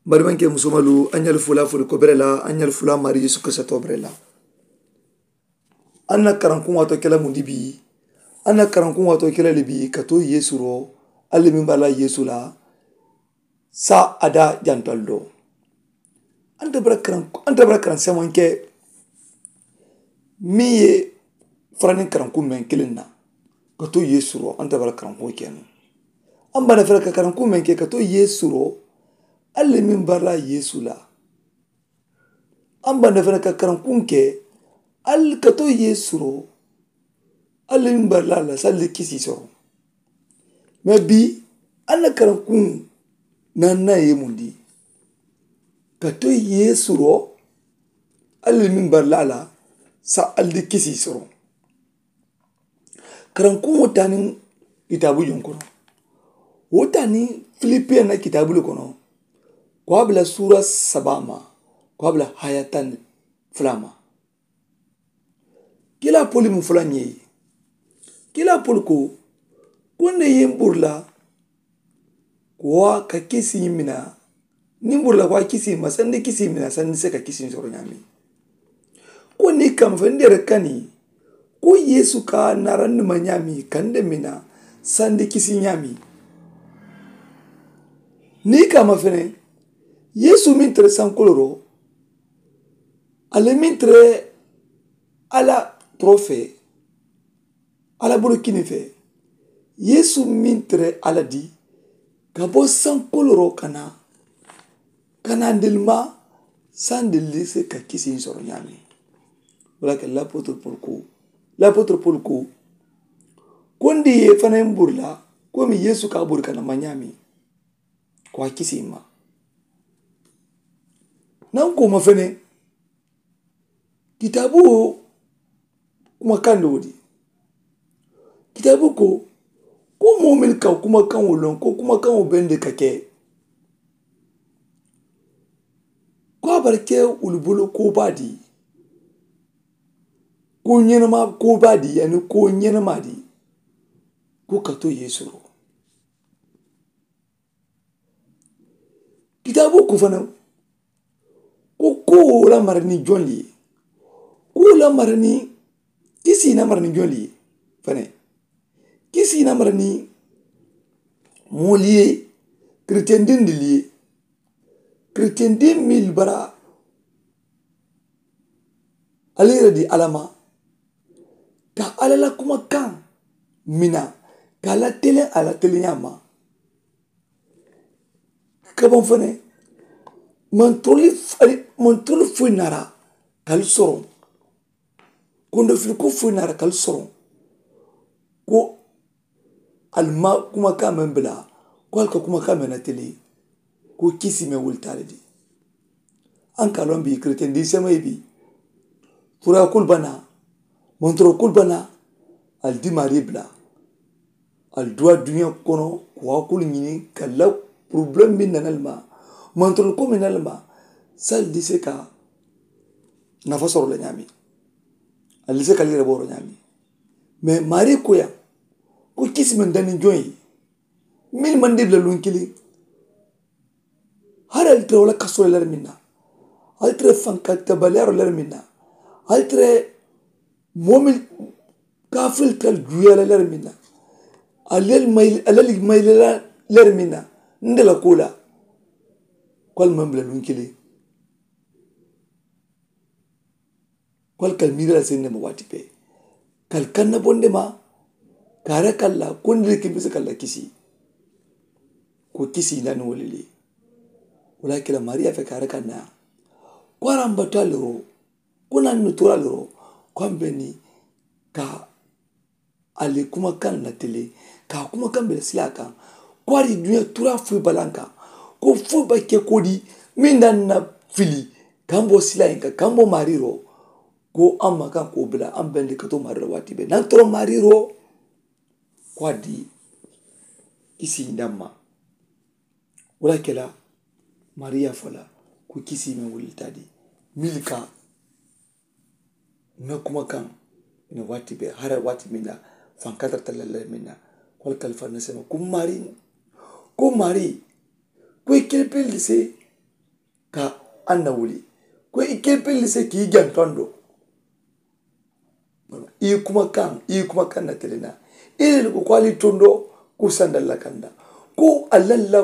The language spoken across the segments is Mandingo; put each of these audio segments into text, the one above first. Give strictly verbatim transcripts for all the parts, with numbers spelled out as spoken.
N barimankee musomalu, a ñali fula fuli ko bere la, a ñali fula maari yeesu kirisita to bere la. A na karankuŋ waatoo ke la mundi bii? A na karankuŋ waatoo ke la le bii ka to yeesu ro, a le meŋ bara la yeesu la, saa a daa jantal do. A nte bara karaŋ a nte bara karaŋ semanke meŋ ye faraniŋ karankuŋ meŋ kiliŋ na ka to yeesu ro a nte bara karankuŋ ke nuŋ. A mba na fere ka karankuŋ meŋ ke ka to yeesu ro, a le meŋ bara la yeesu la. A mba na fere ka karankuŋ ke, a le ka to yeesu ro, a le meŋ bara la la sa le kisii soro. Mee bii a na karankuŋ naani na ye mundi ka to yeesu ro, a le meŋ bara la la sa a le kisii soro. Karankuŋo taa niŋ kitaabu joŋ kono. Wo taa niŋ filipiyaŋ na kitaabu le kono. Ko a bula suura sabaa ma, ko a bula haya taŋ fula ma. Kiilaa poli mu fula ñee ye. Kiilaa poli ko, ko nde ye n buru la ko a ka kisi mina. Niŋ buru la ko a kisi ma sandi kisi mina sandi se ka kisi soro ñaami. Ko niŋ kama fe nde re kani ko yeesu ka narandi ma ñaami kande mina sandi kisi ñaami. Niŋ kama fene yeesu meŋ tere sankoloro, a le meŋ tere a la toro fee a la bulu kini fee. Yeesu meŋ tere a la di ka bo sankoloro kana kana ndilima sandilise ka kisi soro ñaami. Wala ke lapotre pol ko lapotre pol ko kondi ye fana mbur la komi yeesu ka bur kana ma ñaami. Ko a kisi ma nan ko ma fene. Kitaabu wo kuma kandi wo di. Kitaabu ko ko moo mennu ka kuma kaŋo loŋ ko kuma kaŋo bende ka ke ko a bara ke wulu bulu ko baa di. Ko ñenema ko baa di yani ko ñenema di. Ko ka to yeesu ro kitaabu ko fanaŋ. Ko ko wo la marani joŋ li ye. Ko wo la marani kisi na marani joŋ li ye. Fanaŋ kisi na marani moolu ye. Kiritiyandindi li ye kiritiyandin mil bara. Alla yere di alla ma ka alla la kuma kaŋ mina ka alla teleŋ alla teleŋ ñaŋ ma. Ka baŋ fo ne mantolu foyi naara ka ali soroŋ. Kondo fili ko foyi naara ka ali soroŋ ko ali ma kuma kaŋ meŋ bila ko ali ka kuma kaŋ meŋ na tele. Ko kisi meŋ wuli taali di an ka loŋ bi kiritiyandi semayi bi furaya kulu bana. Montoro kulu bana ali di maari bila. Ali duwa duniya kono ko waa kulu ñini ka la porobilemu meŋ nana ali ma montoro ko meŋ nana ali ma. Sali di se ka nafa soro la ñaami. Ali di se ka ali yere booro ñaami. Mee maari koya ko kisi meŋ dani joŋ ye meŋ maŋ di bila luŋ kiliŋ. Hari ali tara wala kasoo le lari miŋ na ali tara fanka tabaliyaaroo lari miŋ na ali tara moo meŋ kaafiri tara juuyaa la lari miŋ na ali ali mayila lari miŋ na nde la koo la. Ko ali maŋ bila luŋ kiliŋ. Ko ali ka ali miira la seŋ ne ma waati bee ka ali kanna bondi ma. Ka a raka ali la kondi le ke misi ka ali la kisi. Ko kisi i nani wo le le. Wo le a ke la maariya fe ka a raka naya ko a ramba to ali ro. Ko nani no to ali ro ko a mbe ni ka ali kuma kaŋ na tele ka kuma kaŋ bele sila kaŋ. Ko a di duniya tura fo i balanka ko fo ba ke ko di meŋ da na fili kambo sila in ka kambo mariro. Ko an ma kaŋ ko bila an bende ka to mariro waati be nan toro mariro. Ko a di kisi ndamma. Wala kela mariya fola ko kisi me wulita di milka. Ŋa kuma kaŋ ina waati be hara waati minna fankatar talalla minna. Wala kalifa na sema ko mari ko mari ko ikilpil di se. ka a na wuli ko i kelipelli se ka i janto a do. I kumakaŋ i kumakaŋ na tele na i lelu ko ko ali tondoo ko sandalla kanda ko a lalla.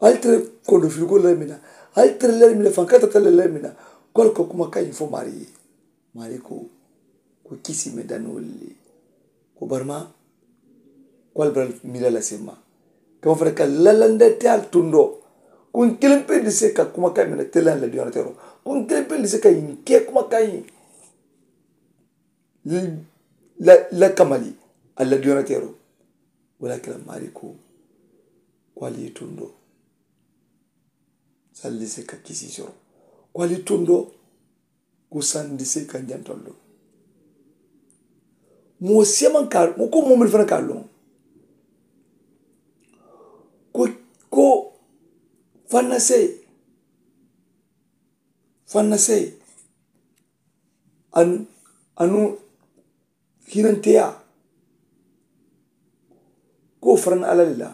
Ali tele kondo filiko lalla mina ali tele lalla mina fankata tele lalla mina ko ali ko kumakaŋ fo maari ye. Maari ko ko kisi me dani wolu le ko barima ko ali bara miila la semma. Kama fana ka lalanda te ali tundoo ko n kiliŋ pe dise ka kumakaŋ mina tele la diyonateero ko n kiliŋ pe dise ka yiŋ ke kumakaŋ yiŋ la kamali. Ali la diyonateero wala kila maari ko ko ali ye tundoo sali dise ka kisi soro ko ali tundoo. Ko sandi se ka jantolu moo seeman ka ko moo melu fanaŋ ka a loŋ ko ko fannasee fannasee anu anu hinanteyaa ko faraŋ alla le la.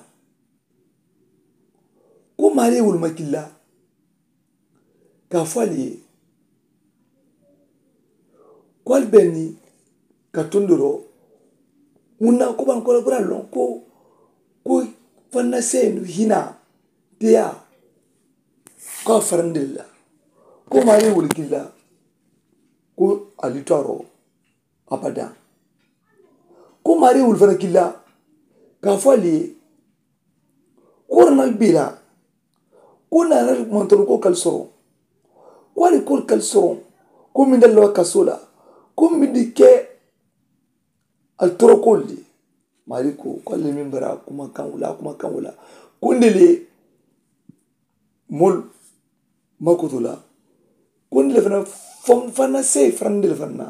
Ko maari ye wolu ma killa ka a fo ali ye ko ali be ni ka tondoroo. Muŋ na ko baŋ ko la bura loŋ ko ko fanna seenu hinaa teyaa ko a farandi le la ko maari ye wolu killa ko ali taaroo abada. Ko maari ye wolu fana killa ka a fo ali ye ko rana bee la ko naana mantoro ko kali soroŋ ko ali kori kali soroŋ ko minda lawa kasoo la ko mindi ke ali torokoolu le. Maari ko ko ali le meŋ bara kumakaŋo la kumakaŋo la ko nde le moolu makoto la ko nde le fana fanna seyi fanna nde le fanna.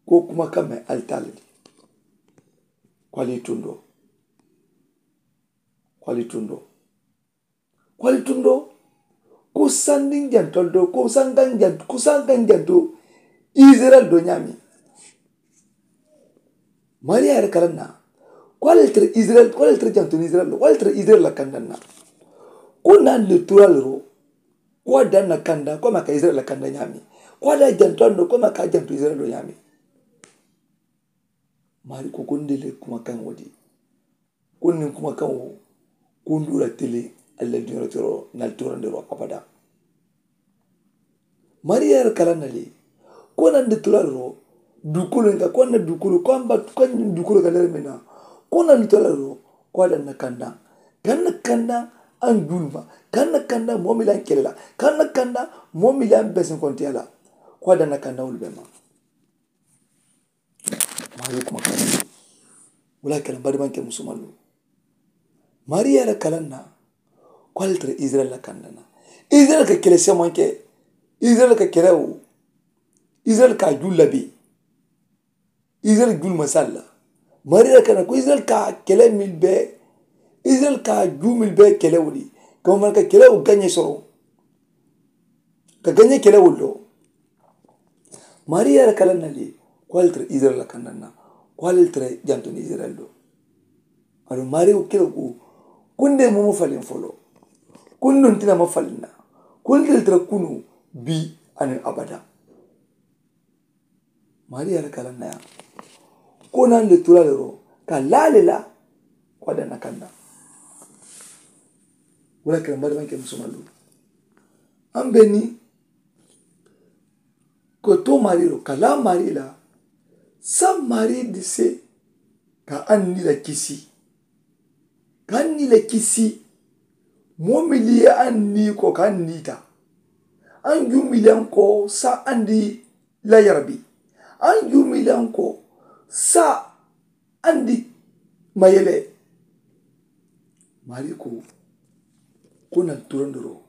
Ko kumakaŋ me ali taa le de ko ali tundoo ko ali tundoo ko ali tundoo. Ko sandiŋ jantolu do ko sankaŋ jantu ko sankaŋ jantu isirayila do ñaameŋ. Maari ye a yere kalaŋ na ko ali le tara isirayila ko ali le tara jantu ni isirayila do ko ali le tara isirayila la kandaŋ na. Ko naani le turalu do ko a daŋ na kandaŋ ko a ma ka isirayila la kandaŋ ñaameŋ. Ko a daŋ jantu a do ko a ma ka jantu isirayila do ñaameŋ. Maari ko ko nde le kumakaŋ wo di ko niŋ kumakaŋo ko n duura tele ali la duñooro toro naali toorandiroo abada. Maari ye a yere kalaŋ na le ko naŋ de toorandiroo duukoolu ka ko a na duukoolu ko a mba ko a ñiŋ duukoolu ka lere meŋ na ko naŋ de toorandiroo ko a daŋ na kandaŋ ka na kandaŋ a n juulu ma ka na kandaŋ moo miŋ la n kele la ka na kandaŋ moo miŋ la n besenkontiya la ko a daŋ na kandaŋ wolu bee ma. Maari ye kumakaŋ wo le a kela n badimaŋ ke musumalu. Maari ye a la kalaŋ na ko ali tara isirayila la kandaŋ na isirayila ka kele semanke isirayila ka kele wo isirayila ka a juu labe isirayila juu le maŋ si ali la. Maari ye a la kalaŋ na ko isirayila ka a kele mili bee isirayila ka a juu mili bee kele wo le kama fanaŋ ka kele wo gañee soroŋ ka gañee kele wo le do. Maari ye a la kalaŋ na le ko ali tara isirayila la kandaŋ na ko ali tara janto ni isirayila do. Aduŋ maari wo kele ko ko n de moo ma faliŋ foloo ko n nontina ma faliŋ na ko n de le tara kunoo bii aniŋ abada. Maari ye a la kalaŋ na yaa ko naŋ de turaale ro ka laa le la ko a danna kandaŋ. Wo le kalaŋ bari maŋ ke musomaŋ lu. Aŋ be niŋ ko too maarii lo ka laa maarii la saŋ maarii dise ka aŋ nii la kisi ka aŋ nii la kisi. Moo miliyaŋ aŋ nii ko ka aŋ nii taa aŋ juu miliyaŋ ko saŋ aŋ dii la yarabi aŋ juu miliyaŋ ko saŋ aŋ dii mayele. Maarii ko ko naŋ turandoroo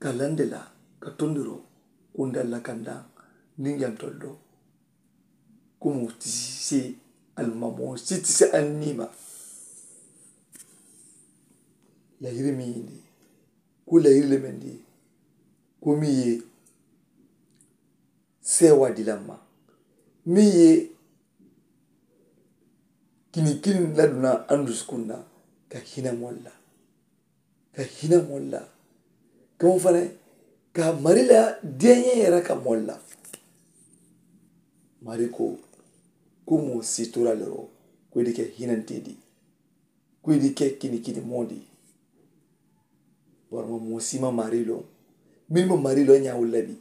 ka lande la ka tondoroo kundal la kandaŋ niŋ jantol do. Ko moo ti se ali ma moo si ti se ali niima. Layiri meŋ ye ndi ko layiri le meŋ ndi ko meŋ ye seewaa dila ma meŋ ye kini kini laduna andusukunna ka hina moolu la, ka hina moolu la, ka wo fanaŋ ka mari la deeñee yera ka moolu la. Mari ko, ko moo si tora le ro, ko i di ke hinantee di, ko i di ke kinikini moo di. Bari moo si ma mari loŋ. Min ma mari loŋ ñaa walla bi,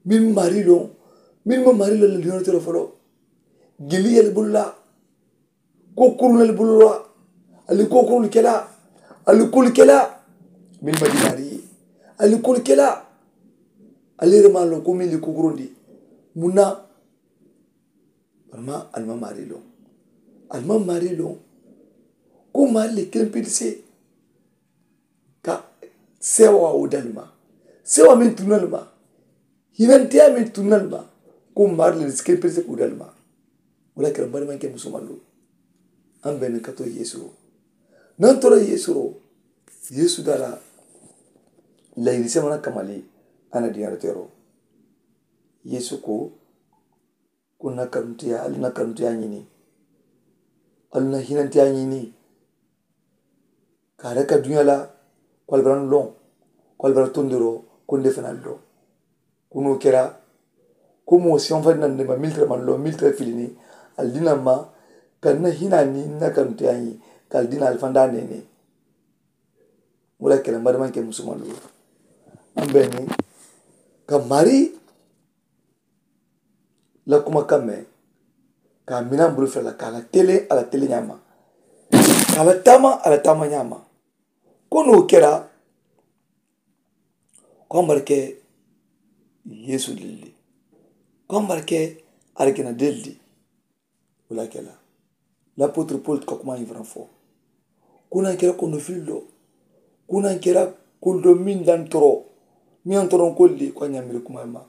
min mari loŋ, min ma mari loŋ la liyono toro folo. Gili yel bulu la, ko kurunal bulu la, ali ko kurun kela, ali kul kela. Min ma dinari ye, ali kul kela. Ali rema lo ko min li kukurundi. Muna? Barma alma mari loŋ, alma mari loŋ. Ko mari le kempilise ka sewa wo dalma, sewa min tunal ma, hinantiya min tunal ma. Ko mari le kempilise ku dalma. Wala kira bari man ke musumalu. An bene kato yesu ro. Nan tora yesu ro. Yesu dala layiri semana kamali. Ana diyara tero. Yesu ko, ko na kanuntiya, ali na kanuntiya ñini, ali na hinantiya ñini. Ka a daka duña la, ko ali bara n loŋ, ko ali bara tondiro, ko nde fana loŋ. Kuno kera, ko moo siŋo fana na nde ma militira man loŋ militira filini. Ali dina ma ka na hina ni na kanuntiya ñi, ka ali dina ali fanda nene. Wala kela mari man ke musumalu. An bene ka mari la kuma kamme, ka mina mbulu fela ka la tele a la tele ñama, ka la tama a la tama ñama. Ko no kera, ko ambarke yesu dilli, ko ambarke argina dilli. Wala kela lapotre paul ka kuma ñi fana fo. Kunan kera kono fillo, kunan kera kuldo min dan toro, min an toron kolli ko a ñamiri kuma ma.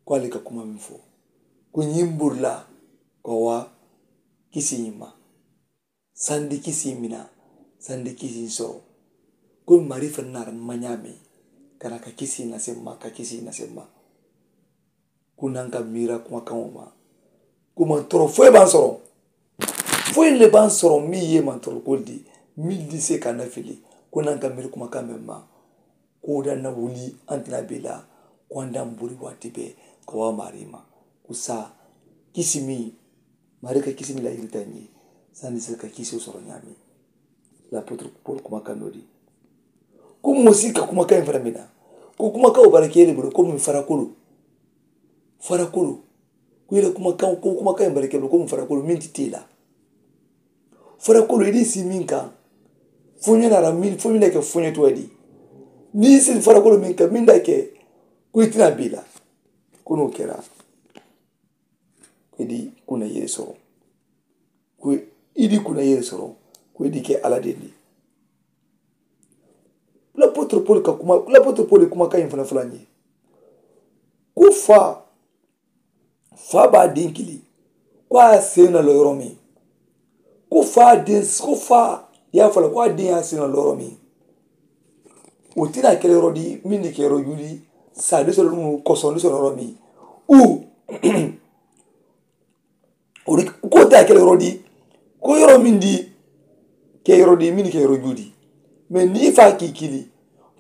Ko ali ka kuma min fo, ko ñimbur la ko wa kisi ñima, sandi kisi mina, sandi kisi soro. Ko mari fannar mañami kana ka kisi na semma ka kisi na semma. Kunan ka mira kuma kamo ma. Kuma toro foye ban soro. Foyi le ban soro mi ye man toro kol di, mi di se ka na fili. Kunan ka miri kuma kame ma. Ko da na wuli antina bela. Ko anda mburi wati be ka wa mari ma. Kusa kisi mi, mari ka kisi mi la yirita ñi. Sani se ka kisi soro ñami. Lapotre paul kuma kando di. Ko mosi ka kuma kayin fara mina. Ko kuma kawo bara kele bulu ko mi fara kulu. Fara kulu. Ku ila kuma kawo ko kuma kayin bara kele bulu ko mi fara kulu min ti tila. Fara kulu idi si min ka. Funyo na ra min funyo na ke funyo to di. Ni si fara kulu min ka min da ke. Ku itina bila. Kuno kera. Ku idi kuna yere soro. Ku idi kuna yere soro. Ku idi ke ala dendi. Lapotre paul ka kuma lapotre paul kuma kayin fana fula ñi. Ku fa fa ba din kili. Ko a sena lo yoro mi. Ko fa din ko fa ya fala ko a din ya sena lo yoro mi. O tina kele yoro di min ni ke yoro yuli. Sa di solo mu koson di solo yoro mi. U o di ko ta kele yoro di. Ko yoro min di ke yoro di min ni ke yoro yuli. Me ni fa ki kili.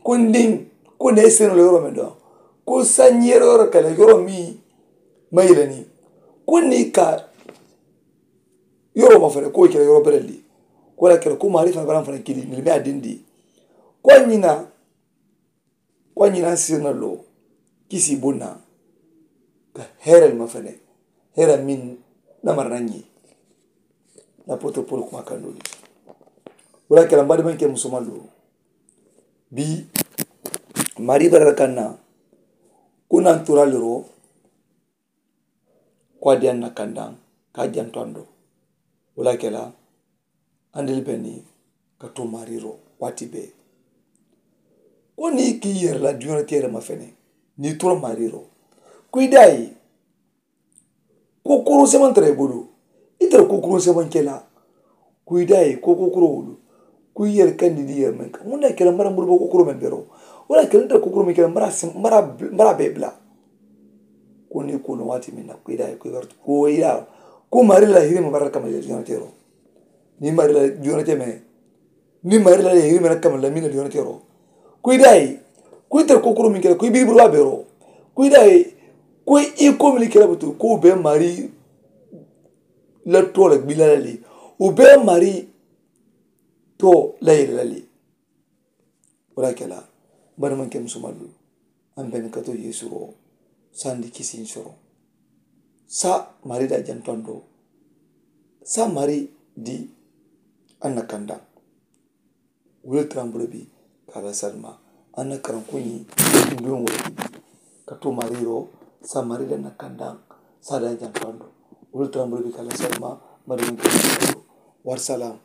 Ko ndin ko ne sena lo yoro mi do. Ko sa ñi yoro yoro kele yoro mi. Mayilani ko ni ka yoro ma fere ko kele yoro berelli. Ko la kele ko mari fa baran fana kili ni me adindi. Ko ñina ko ñina sirna lo kisi bunna. Ka herel ma fene hera min namar na ñi. Lapotre paul kuma kandoli. Wala kele mbadi man ke musumalu. Bi mari barara kanna. Kunan turaliro. Ko a diyaŋ na kandaŋ ka a janto a ndo. Wo le a ke la andili be niŋ ka to maariiroo waati bee. Ko niŋ i ka i yere la duñaari teere ma fene niŋ i tura maariiroo. Ko i daa ye ko kuruŋ semantaŋ i bulu. I tara ko kuruŋ semaŋ ke la. Ku i daa ye ko ko kuro wulu. Ku i yere kandi di yere meŋ ka muŋ na ke la mara muru ba ko kuro meŋ bero. Wala ke la nta ko kuro meŋ ke la mara mara mara be bla. Ko ni ko no wati meŋ na ku i daa ye ko i gartu ko i daa. Ko mari la hiri ma bara kama jona tero. Ni mari la jona teme. Niŋ mari la le yiri mena kamma la miŋ na diyono tero, ko i daa ye ko i tara kokoro miŋ kela ko i biribiri waa bero, ko i daa ye ko i ko mili kela butu ko u be mari la to la gbila la le, u be mari to la yele la le. Wo la kela bari maŋ ke musumalu, an beni ka to yesu ro sandi kisiŋ soro. Sa mari da jantando sa mari di an na kanda. Wuli trambulo bi kala salma an na karankuñi. Nduŋ wuli bi ka to mari ro sa mari da na kanda sa da jantando. Wuli trambulo bi kala salma mari maŋ ke musumalu. War salam.